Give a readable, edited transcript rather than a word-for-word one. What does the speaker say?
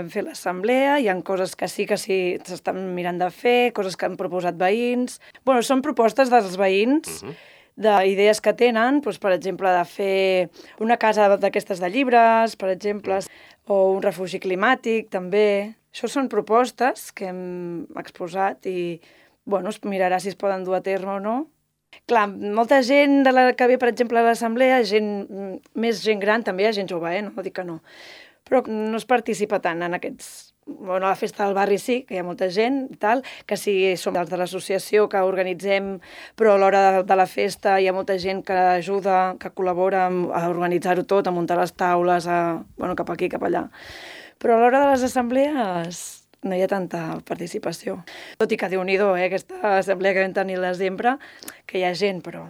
vam fer l'assemblea, hi ha coses que sí s'estan mirant de fer, coses que han proposat veïns. Bueno, són propostes dels veïns, d'idees que tenen, doncs, per exemple, de fer una casa d'aquestes de llibres, per exemple, o un refugi climàtic, també. Això són propostes que hem exposat i, bueno, es mirarà si es poden dur a terme o no. Clar, molta gent de la que ve, per exemple, a l'assemblea, més gent gran, també hi ha gent jove, no dic que no. Però no es participa tant en aquests... Bueno, a la festa del barri sí, que hi ha molta gent i tal, que sí som els de l'associació que organitzem, però a l'hora de la festa hi ha molta gent que ajuda, que col·labora a organitzar-ho tot, a muntar les taules, cap aquí, cap allà. Però a l'hora de les assemblees no hi ha tanta participació. Tot i que Déu-n'hi-do, aquesta assemblea que vam tenir al desembre, que hi ha gent, però